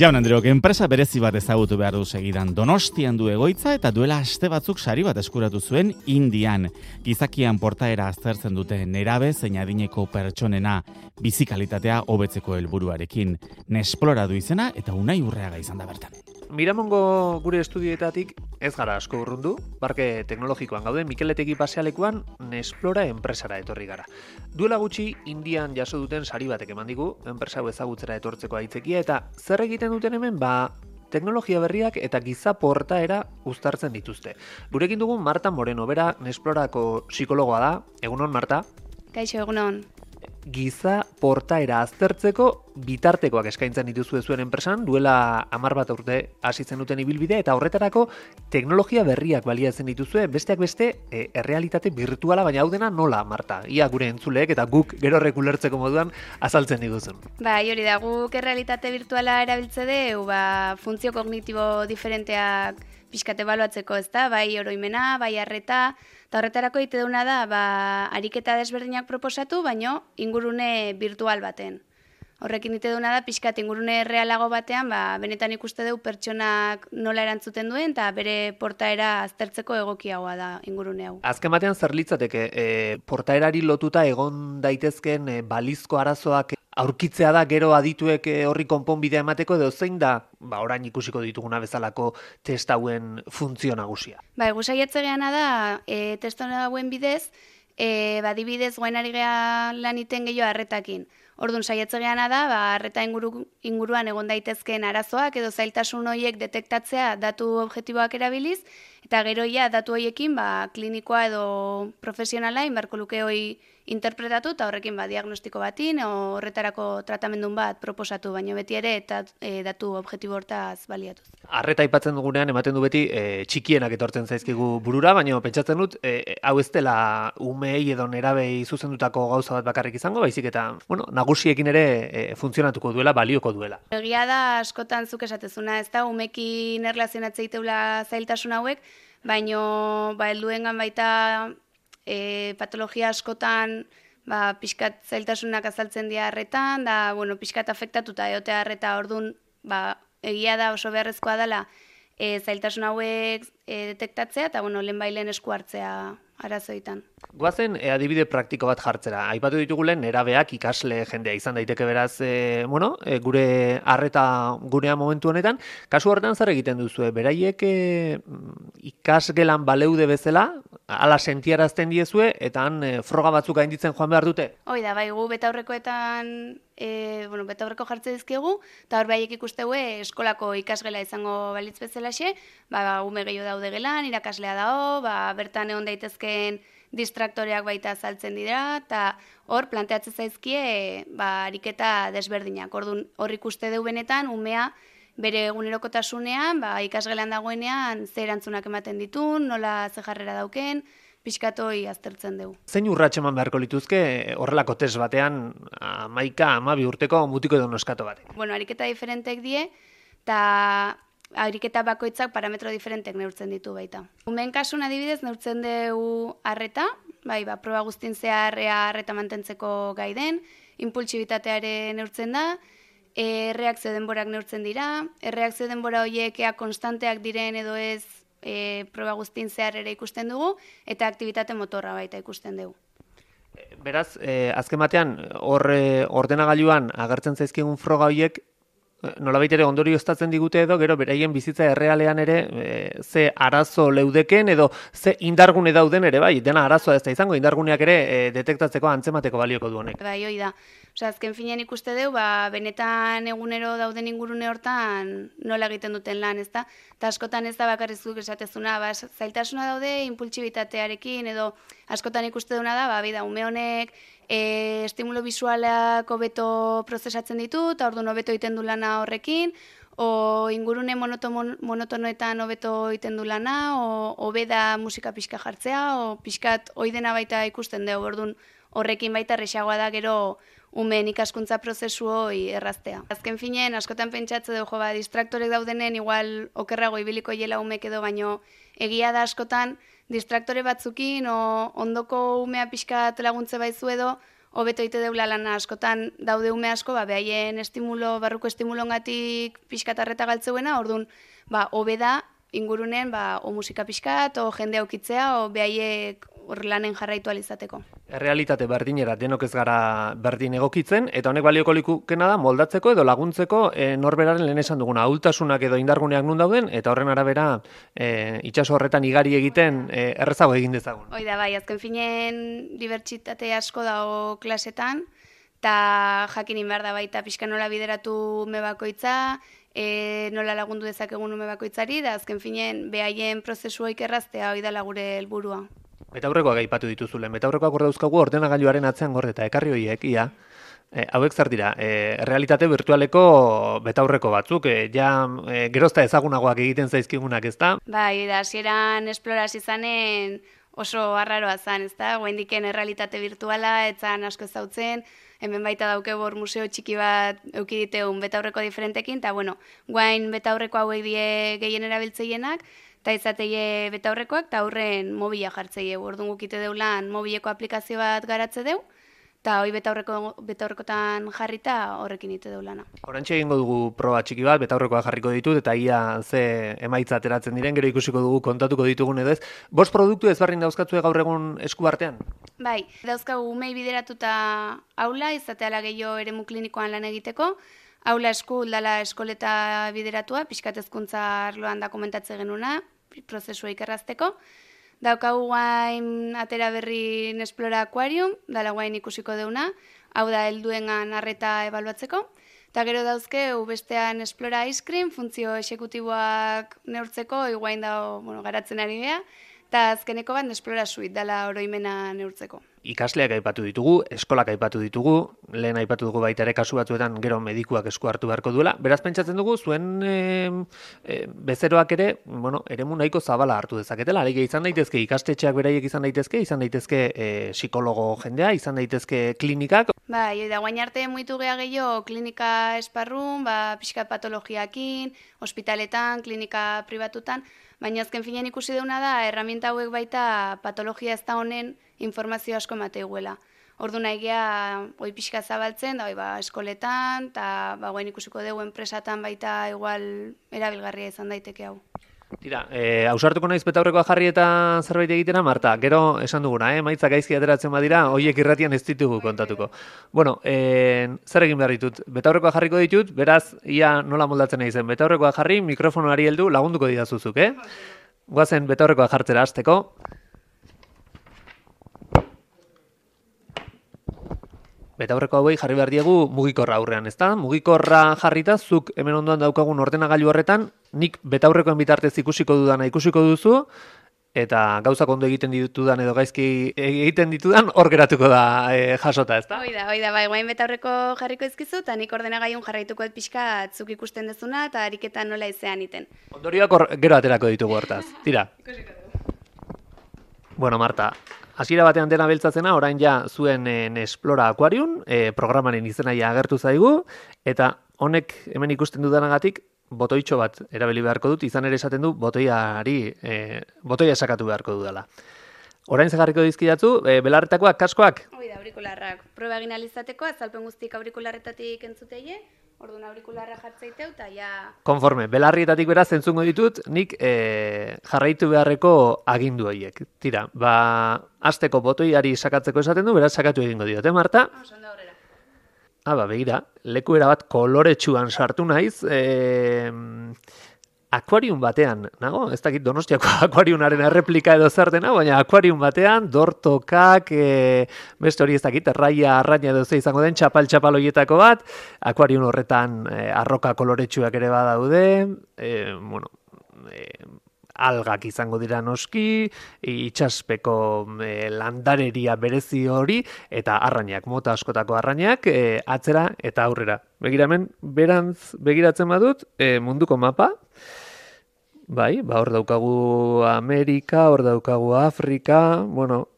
Jaun Andreok, enpresa berezi bat ezagutu behar du segidan. Donostian du egoitza eta duela aste batzuk sari bat eskuratu zuen Indian. Gizakian portaera aztertzen dute nerabe zein adineko pertsonena bizikalitatea hobetzeko helburuarekin. Nesplora du izena eta Unai Urreaga izan da bertan. Miramongo gure estudioetatik ez gara asko urrundu, parke teknologikoan gauden Mikeletegi pasealekuan Nesplora enpresara etorri gara. Duela gutxi Indian jaso duten sari batek eman digu, enpresa hau ezagutzera etortzeko aitzakia eta zer egiten duten hemen, teknologia berriak eta giza portaera uztartzen dituzte. Gurekin dugun Marta Moreno, bera Nesplorako psikologoa da. Egunon, Marta? Kaixo, egunon. Giza portaera aztertzeko bitartekoak eskaintzen dituzue zuen enpresan, duela 10 bat urte hasi zenuten ibilbide eta horretarako teknologia berriak baliatzen dituzue, besteak beste errealitate virtuala, baina hau dena nola, Marta? Ia gure entzuleek eta guk gero ulertzeko moduan azaltzen diguzun. Hori da, guk errealitate virtuala erabiltze deu, funtzio kognitibo diferenteak pixkate ebaluatzeko, ez da, bai oroimena, bai arreta, eta horretarako egite duna da, ariketa desberdinak proposatu, baino ingurune virtual baten. Horrekin egite duna da, pixkat ingurune realago batean, benetan ikuste dugu pertsonak nola erantzuten duen, eta bere portaera aztertzeko egokiagoa da ingurune hau. Azken batean zer litzateke, portaerari lotuta egon daitezken balizko arazoak aurkitzea da gero adituek horri konponbidea emateko, edo zein da, orain ikusiko dituguna bezalako test hauen funtzio nagusia? Gu saiatze geana da, test hauen bidez, adibidez goen ari gea lan iten gehiago arretakin. Orduan saiatze geana da, arreta inguruan egon daitezkeen arazoak edo zailtasun horiek detektatzea datu objektiboak erabiliz, eta gero datu horiekin klinikoa edo profesionala inbarko luke hori interpretatu eta horrekin diagnostiko batin o horretarako tratamendun bat proposatu, baino beti ere eta datu objektibo hortaz baliatuz. Arreta aipatzen dugunean ematen du beti txikienak etortzen zaizkigu burura, baina pentsatzen dut hau ez dela umeei edo nerabei zuzendutako gauza bat bakarrik izango, baizik eta nagusiekin ere funtzionatuko duela, balioko duela. Egia da askotan zuk esatezuna, ez da umekin erlazionatzea iteula zailtasun hauek, baino helduengan baita patologia askotan pixkat zailtasunak azaltzen dira arretan, da pixkat afektatuta egotea arreta, orduan egia da oso beharrezkoa dela zailtasun hauek detektatzea eta lehenbailen esku hartzea arazoetan. Goazen adibide praktiko bat jartzera. Aipatu ditugulen nerabeak ikasle jendea izan daiteke beraz, gure arreta gurea momentu honetan. Kasu horretan zer egiten duzue? Beraiek ikasgelan baleude bezala, ala sentiarazten diezue, eta froga batzuk gainditzen joan behar dute? Hoi da, gu betaurrekoetan betaurreko jartze dizkigu, eta hor behaiek ikusteue eskolako ikasgela izango balitz bezalaxe, ume gehiago daude gelan, irakaslea dago, bertan egon daitezkeen distraktoreak baita azaltzen dira, eta hor planteatzen zaizkie ariketa desberdinak. Orduan hor ikuste du benetan, umea bere egunerokotasunean, ikasgelan dagoenean ze erantzunak ematen ditun, nola ze jarrera dauken, pixkatoi aztertzen dugu. Zein urrats eman beharko lituzke horrelako test batean 11-12 urteko mutiko edo neskato batek? Ariketa diferentek die, eta ariketa bakoitzak parametro diferentek neurtzen ditu baita. Umeen kasun adibidez neurtzen dugu arreta, proba guztien zehar arreta mantentzeko gai den, impultsibitateare neurtzen da, erreakzio denborak neurtzen dira, erreakzio denbora horiek konstanteak diren edo ez proba guztien zehar ere ikusten dugu, eta aktibitate motorra baita ikusten dugu. Beraz, azken batean, ordenagailuan agertzen zaizkigun froga horiek, nolabait ere ondorioztatzen digute edo, gero beraien bizitza errealean ere ze arazo leudeken edo ze indargune dauden ere, dena arazoa ez da izango, indarguneak ere detektatzeko antzemateko balioko du honek. Hoi da. Azken finean ikuste dugu, benetan egunero dauden ingurune hortan nola egiten duten lan, ez da? Eta askotan ez da bakarrizuk esatezuna, zailtasuna daude impultsibitatearekin edo askotan ikuste duna da, ume honek estimulo bisualak hobeto prozesatzen ditu, eta orduan hobeto egiten du lana horrekin, o ingurune monotonoetan hobeto egiten du lana, o hobeda musika pixka jartzea, o pixkat hoi dena baita ikusten dugu, orduan horrekin baita erresagoa da gero umeen ikaskuntza prozesu hori erraztea. Azken finean, askotan pentsatze dugu, distraktorek daudenen, igual okerrago ibiliko hiela umek edo, baino egia da askotan distraktore batzukin, ondoko umea pixkat laguntze baizu edo, hobeto ite deula lana askotan daude ume asko, behaien barruko estimulongatik pixkatarreta galtzeuena, orduan, hobe da, ingurunen, o musika pixkat, o jende aukitzea, o behaiek lanen jarraitu alizateko. Errealitate berdinera denok ez gara berdin egokitzen, eta honek balioko likukena da moldatzeko edo laguntzeko norberaren lehen esan duguna, ahultasunak edo indarguneak nun dauden, eta horren arabera itsaso horretan igari egiten errezago egin dezagun. Hoi da, bai, azken finen dibertsitate asko dago klasetan, eta jakinin behar da baita pixka nola bideratu ume bakoitza, nola lagundu dezakegun ume bakoitzari, da azken finen behaien prozesuoik erraztea hoi dela gure helburua. Betaurrekoak aipatu dituzulen, betaurrekoak hor dauzkagu ordenagailuaren atzean gorde eta ekarri horiek, hauek zer dira, realitate virtualeko betaurreko batzuk, gerozta ezagunagoak egiten zaizkigunak, ezta? Bai, da, hasieran esploraz izanen oso arraroa zan, ezta? Guaindiken errealitate virtuala, etzan asko ezautzen, hemen baita dauke bor museo txiki bat eukiditeun betaurreko diferentekin, eta guain betaurreko hauek die gehien erabiltzeienak, eta izateie betaurrekoak, eta aurren mobila jartzeie. Orduan gukite deulan mobileko aplikazio bat garatze deu, eta hoi betaurrekotan jarrita horrekin ite deulana. Horantxe egingo dugu proba txiki bat, betaurrekoa jarriko ditut, eta ia ze emaitza ateratzen diren, gero ikusiko dugu kontatuko ditugun edo ez. Bost produktu ezberdin dauzkatzue gaur egun esku artean? Bai, dauzkagu umei bideratuta aula, izateala gehiago eremu klinikoan lan egiteko, aula esku dala eskoleta bideratua, pixkat hezkuntza arloan da komentatzen genuna, prozesua ikerrazteko. Daukagu guain atera berri Nesplora Aquarium, dala guain ikusiko deuna, hau da helduengan arreta ebaluatzeko. Eta gero dauzke, bestean Nesplora Ice Cream, funtzio exekutiboak neurtzeko, iguain da garatzen ari geha, eta azkeneko bat Nesplora Suite, dala oroimena neurtzeko. Ikasleak aipatu ditugu, eskolak aipatu ditugu, lehen aipatu dugu baita ere kasu batzuetan gero medikuak esku hartu beharko duela. Beraz pentsatzen dugu, zuen bezeroak ere, eremu nahiko zabala hartu dezaketela. Alegia izan daitezke ikastetxeak beraiek izan daitezke psikologo jendea, izan daitezke klinikak. Bai, da guain arte muitu geha gehiago klinika esparrun, pixkat patologiakin, ospitaletan, klinika pribatutan, baina azken finean ikusi deuna da, erramienta hauek baita patologia ez da honen informazio asko emate iguela. Ordu nahi geha, pixka zabaltzen, da eskoletan, eta guain ikusiko dugu enpresatan baita igual erabilgarria izan daiteke hau. Tira, ausartuko naiz betaurrekoa jarri eta zerbait egitera, Marta, gero esan duguna, maitzak gaizki ateratzen badira, hoiek irratian ez ditugu kontatuko. Zer egin behar ditut? Betaurrekoa jarriko ditut, beraz, ia nola moldatzen nahi zen, betaurrekoa jarri, mikrofonoari heldu, lagunduko didazuzuk, Goazen betaurrekoa jartzera hasteko. Betaurreko hauei jarri behar diegu mugikorra aurrean, ezta? Mugikorra jarrita, zuk hemen ondoan daukagun ordenagailu horretan, nik betaurrekoen bitartez ikusiko dudana ikusiko duzu, eta gauzak ondo egiten ditudan edo gaizki egiten ditudan hor geratuko da jasota, ezta? Hoi da, bai, guain betaurreko jarriko ezkizu, eta nik ordenagailun jarraituko pixka zuk ikusten dezuna, eta ariketan nola izean iten. Ondorioak gero aterako ditugu hortaz, tira. Bueno, Marta, hasiera batean dena beltzatzena, orain ja zuen Nesplora Aquarium, programaren izenaia agertu zaigu, eta honek hemen ikusten dudanagatik botoitxo bat erabili beharko dut, izan ere esaten du botoia sakatu beharko dudala. Orain zegarriko dizkidatzu, belarretakoak, kaskoak? Hoi da, aurikularrak. Proba egin alizateko, azalpen guztik aurikularretatik entzuteie, orduan aurikularra jartzeiteu, eta ja... Konforme, belarrietatik beraz entzungo ditut, nik jarraitu beharreko agindu horiek. Tira, hasteko botoiari sakatzeko esaten du, beraz sakatu egingo diot, Marta? Ondo aurrera. Begira, leku erabat koloretsuan sartu naiz, akuarium batean, nago? Ez dakit Donostiako akuariumaren erreplika edo zer dena, baina akuarium batean, dortokak, beste hori ez dakit, arraina edo ze izango den, txapal horietako bat, akuarium horretan arroka koloretsuak ere badaude, algak izango dira noski, itxaspeko landareria berezi hori, eta arrainak, mota askotako arrainak, atzera eta aurrera. Begira hemen, berantz begiratzen badut, munduko mapa, bai, hor daukagu Amerika, hor daukagu Afrika,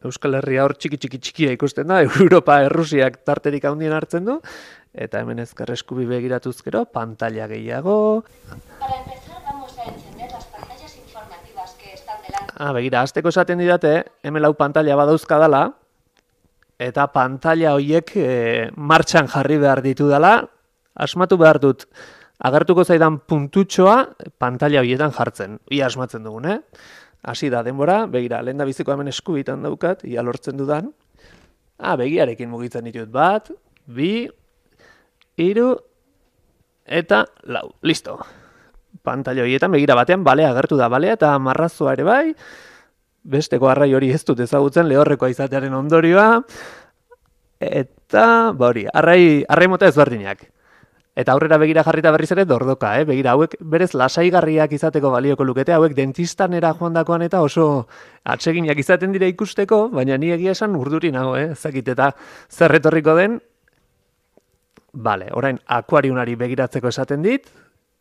Euskal Herria hor txikia ikusten da, Europa, Errusiak tarterik handien hartzen du, eta hemen ezker eskubi begiratuz gero, pantalla gehiago. Para empezar, vamos a encender las pantallas informativas que están delante. Begira, hasteko esaten didate, hemen lau pantalla badauzkadala, eta pantalla horiek martxan jarri behar ditu dela, asmatu behar dut agertuko zaidan puntutxoa pantalla horietan jartzen. Ia asmatzen dugun, Hasi da denbora, begira, lehen da biziko hemen eskubitan daukat, ia lortzen dudan. Begiarekin mugitzen ditut 1, 2, 3, eta 4. Listo. Pantalla horietan begira batean balea agertu da, balea eta marrazoa ere bai, besteko arrai hori ez dut ezagutzen lehorrekoa izatearen ondorioa, eta hori, arrai mota ezberdinak. Eta aurrera begira jarrita berriz ere dordoka, begira, hauek berez lasaigarriak izateko balioko lukete, hauek dentistanera joandakoan eta oso atseginak izaten dira ikusteko, baina ni egia esan urduri nago, ezakit eta zer etorriko den. Bale, orain akuariunari begiratzeko esaten dit,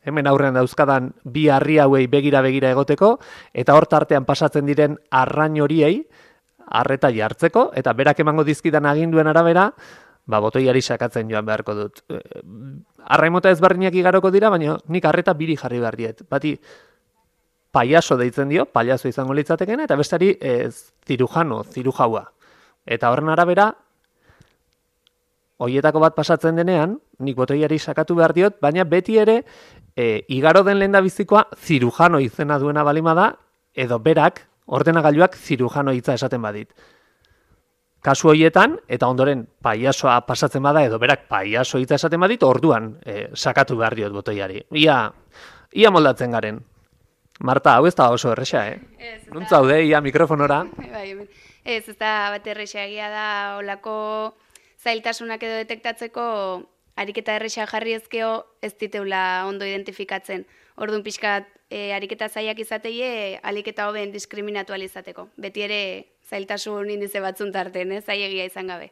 hemen aurrean dauzkadan bi harri hauei begira egoteko, eta hor tartean pasatzen diren arrain horiei arreta jartzeko, eta berak emango dizkidan aginduen arabera, botoiari sakatzen joan beharko dut. Arraimota ezberdinak igaroko dira, baina nik arreta 2 jarri behar diet. Bati paiaso deitzen dio, paiaso izango litzatekena, eta bestari zirujaua. Eta horren arabera, hoietako bat pasatzen denean, nik botoiari sakatu behar diot, baina beti ere, igaro den lehendabizikoa zirujano izena duena balima da, edo berak, ordenagailuak zirujano hitza esaten badit. Kasu horietan, eta ondoren paiasoa pasatzen bada, edo berak paiaso hitza esaten badit, orduan sakatu behar diot botoiari. Ia moldatzen garen. Marta, hau ez da oso erresa, Nuntza haude, ia mikrofonora. Ez da bat erresa egia da, olako zailtasunak edo detektatzeko ariketa erresa jarri ezkeo ez diteula ondo identifikatzen. Orduan pixkat ariketa zaiak izateie, aliketa hoben diskriminatu alizateko. Beti ere zailtasun indize batzun tarten, zaiegia izan gabe.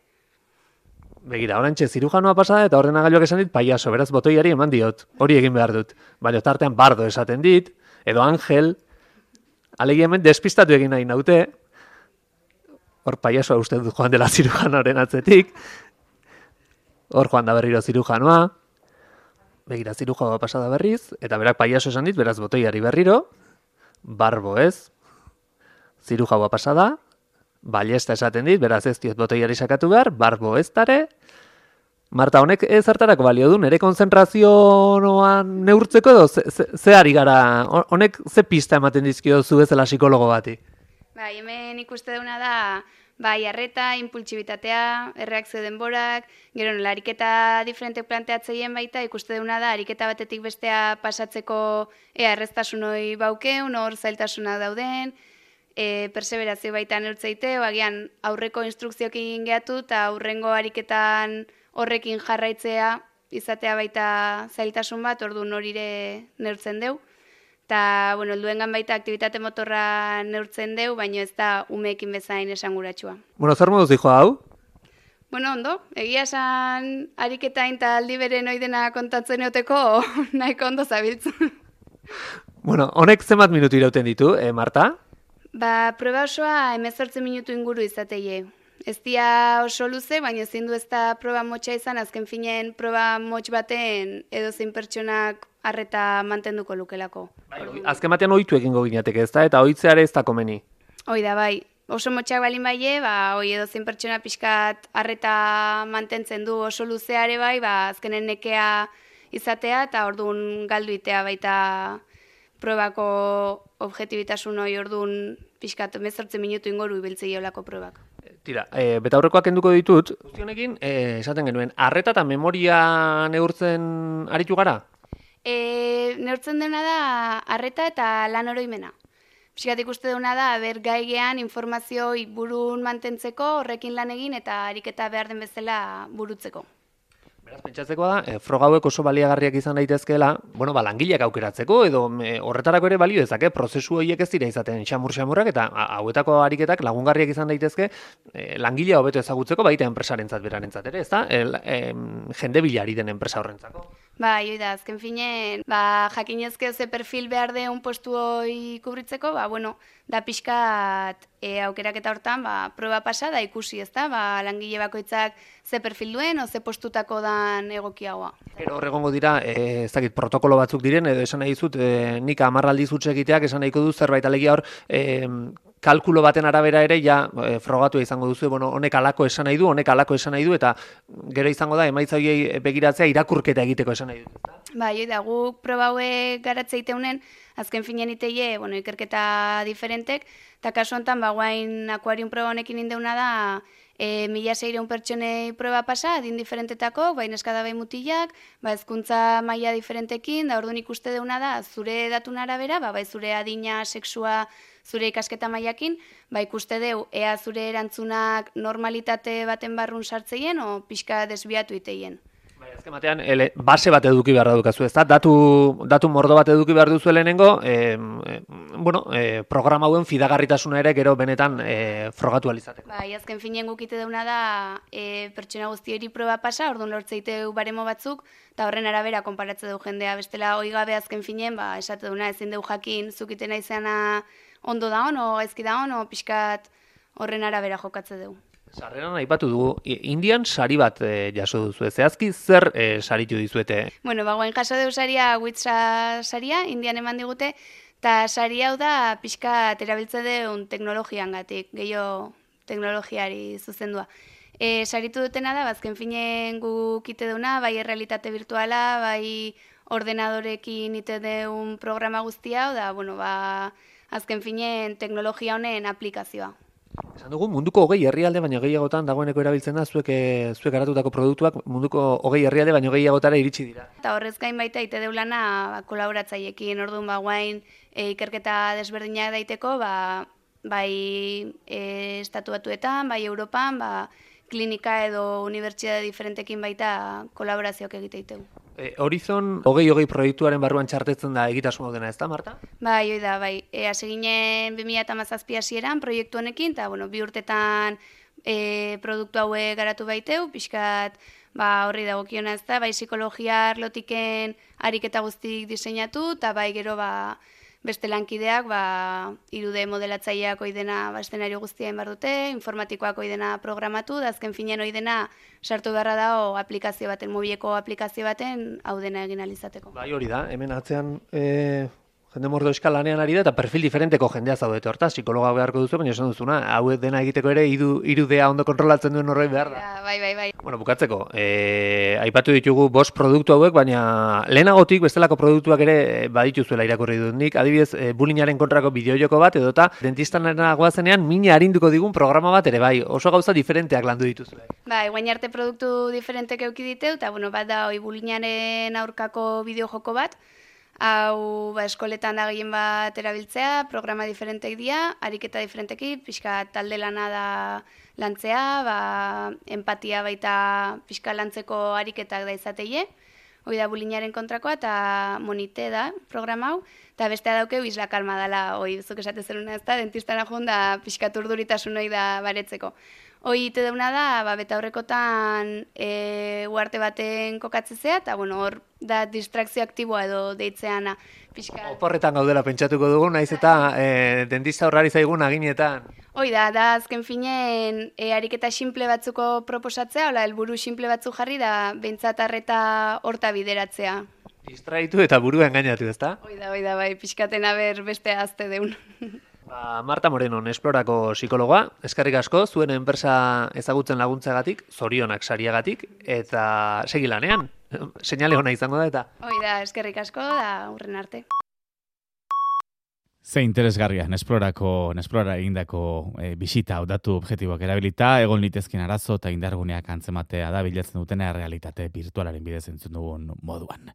Begira, orantxe zirujanoa pasada eta ordenagailuak esan dit paiaso, beraz botoiari eman diot, hori egin behar dut. Baina tartean bardo esaten dit, edo Angel, alegi hemen despistatu egin nahi naute, hor paiasoa uste dut joan dela zirujanoaren atzetik, hor joan da berriro zirujanoa, begira zirujanoa pasada berriz, eta berak paiaso esan dit, beraz botoiari berriro, barbo ez, zirujanoa pasada, ballesta esaten dit, beraz ez diot botoiari sakatu behar, barbo ez dare. Marta, honek zertarako balio du, nire konzentrazioan neurtzeko edo ze ari gara, honek ze pista ematen dizkio zu bezala psikologo bati? Hemen ikuste duna da, arreta, impultsibitatea, erreakzio denborak, gero nola ariketa diferentek planteatzeien baita, ikuste duna da, ariketa batetik bestea pasatzeko erreztasun hori baukeun, hor zailtasunak dauden, perseverazio baita neurtzeite, agian aurreko instrukzioekin gehatu eta aurrengo ariketan horrekin jarraitzea izatea baita zailtasun bat, orduan horire neurtzen deu. Eta, helduengan baita aktibitate motorra neurtzen deu, baina ez da umeekin bezain esanguratsua. Zer moduz dijo hau? Ondo, egia esan ariketain eta aldi beren oidena kontatzen eoteko nahiko ondo zabiltzen. Honek zenbat minutu irauten ditu, Marta? Proba osoa 18 minutu inguru izateie. Ez dia oso luze, baina ezin du ez da proba motxa izan, azken finen proba motx baten edozein pertsonak arreta mantenduko lukelako. Azken batean ohitu egingo ginateke, ez da? Eta ohitzeare ez da komeni. Hoi da, bai. Oso motxak balin baie, edozein pertsona pixkat arreta mantentzen du oso luzeare bai, azkenen nekea izatea, eta orduan galdu itea baita probako objetibitasun hori orduan pixkat 18 minutu ingoru ibiltzei olako probak. Tira, betaurrekoak kenduko ditut, guztionekin, esaten genuen, arreta eta memoria neurtzen aritu gara? Neurtzen dena da arreta eta lan oroimena. Pixkat ikuste duna da, gaigean informazio burun mantentzeko, horrekin lan egin eta ariketa behar den bezala burutzeko. Beraz, pentsatzeko da, froga hauek oso baliagarriak izan daitezkeela, langileak aukeratzeko, edo horretarako ere balio dezake, prozesu horiek ez dira izaten xamur-xamurrak, eta hauetako ariketak lagungarriak izan daitezke, langilea hobeto ezagutzeko, baita enpresarentzat berarentzat ere, ez da? Jende bilari den enpresa horrentzako. Hoi da, azken finen, jakinezke ze perfil behar deun postu hori kubritzeko, da pixkat aukeraketa hortan, proba pasa da ikusi, ezta? Langile bakoitzak ze perfil duen, o ze postutako dan egokiagoa. Gero horregongo dira, ez dakit, protokolo batzuk diren, edo esan nahi dizut, nik 10 aldiz huts egiteak esan nahiko du zerbait alegia hor, kalkulo baten arabera ere frogatu izango duzu, honek alako esan nahi du, honek alako esan nahi du, eta gero izango da, emaitza horiei begiratzea irakurketa egiteko esan nahi du. Bai, da, guk proba hauek garatze iteunen, azken finean iteie, ikerketa diferentek, eta kasu honetan, guain akuarium proba honekin indeuna da, 1.600 pertsonei proba pasa, adin diferentetako, neska bai mutilak, hezkuntza maila diferentekin, da orduan ikuste deuna da, zure datun arabera, bai zure adina, sexua, zure ikasketa mailakin, ikuste deu, ea zure erantzunak normalitate baten barrun sartzeien, o pixka desbiatu iteien. Azken batean, base bat eduki behar dukazu, ez da? Datu mordo bat eduki behar duzu lehenengo, programa hauen fidagarritasuna ere gero benetan frogatu alizateko. Azken finean gukite deuna da pertsona guzti hori proba pasa, orduan lortzeiteu baremo batzuk, eta horren arabera konparatze du jendea. Bestela, hoi gabe azken finean, esate duna, ezin deu jakin zukiten izana ondo da o gaizki da o pixkat horren arabera jokatze dugu. Sarreran aipatu dugu, Indian sari bat jaso duzu, zehazki zer saritu dizuete? Guain jaso dugu saria, Witsa saria, Indian eman digute, eta sari hau da pixka erabiltze deun teknologian gatik, gehiago teknologiari zuzendua. Saritu dutena da, azken finen guk ite duna, bai errealitate virtuala, bai ordenadorekin ite deun programa guztia, da, azken finen teknologia honen aplikazioa. Esan dugu, munduko 20 herrialde baino gehiagotan dagoeneko erabiltzen da, zuek garatutako produktuak munduko 20 herrialde baino gehiagotara iritsi dira. Eta horrez gain baita ite deulana kolaboratzaiekin, orduan guain ikerketa desberdinak daiteko, bai estatu batuetan, bai Europan, klinika edo unibertsitate diferentekin baita kolaborazioak egite ditegu. Horizon 2020 proiektuaren barruan txartetzen da egitasmo dena, ez da, Marta? Bai, hoi da, bai. Hasi ginen 2017 hasieran proiektu honekin, eta, 2 urtetan produktu haue garatu baiteu, pixkat, horri dagokiona ez da, bai psikologia arlotiken ariketa guztik diseinatu, eta bai gero, beste lankideak, 3D modelatzaileak oidena eszenario guztia behar dute, informatikoak oidena programatu, da azken finean oidena sartu beharra dago aplikazio baten, mobileko aplikazio baten hau dena egin alizateko. Bai, hori da, hemen atzean jende mordo eskal lanean ari da, eta perfil diferenteko jendea zaudete horta, psikologa beharko duzu, baina esan duzuna, hau dena egiteko ere irudea ondo kontrolatzen duen horrei behar da. Bai. Bueno, bukatzeko, aipatu ditugu 5 produktu hauek, baina lehenagotik bestelako produktuak ere badituzuela irakurri dut nik, adibidez, bullyingaren kontrako bideojoko bat, edota dentistan goazenean mina arinduko digun programa bat ere, bai, oso gauza diferenteak landu dituzue. Bai, guain arte produktu diferentek euki diteu, eta bat da, bullyingaren aurkako bideojoko bat, hau eskoletan da gehien bat erabiltzea, programa diferentek dira, ariketa diferenteki, pixka talde lana da lantzea, empatia baita pixka lantzeko ariketak da izateie, hoi da bullyingaren kontrakoa, eta monite da programa hau, eta bestea daukeu Isla Kalma dela, hoi zuk esate zeruna ez da, dentistana joan da pixka turduritasun hoi da baretzeko. Hoi ite deuna da, beta horrekotan uarte baten kokatzezea, eta hor da distrakzio aktiboa edo deitzeana. Oporretan gaudela pentsatuko dugu, naiz eta dentista horrari zaigun aginetan. Hoi da azken finen ariketa simple batzuko proposatzea, helburu simple batzu jarri da, behintzat arreta horta bideratzea. Distraitu eta burua engainatu, ezta? Hoi da, bai, pixkaten aber beste azte deun. Marta Moreno, Esplorako psikologoa, eskerrik asko, zuen enpresa ezagutzen laguntzagatik, zorionak sariagatik, eta segi lanean, seinale ona izango da eta. Hoi da, eskerrik asko, da hurren arte. Ze interesgarria, Nesplora egindako bisita hau datu objektiboak erabilita, egon litezkin arazo eta indarguneak antzematea da bilatzen dutena realitate virtualaren bidez entzun dugun moduan.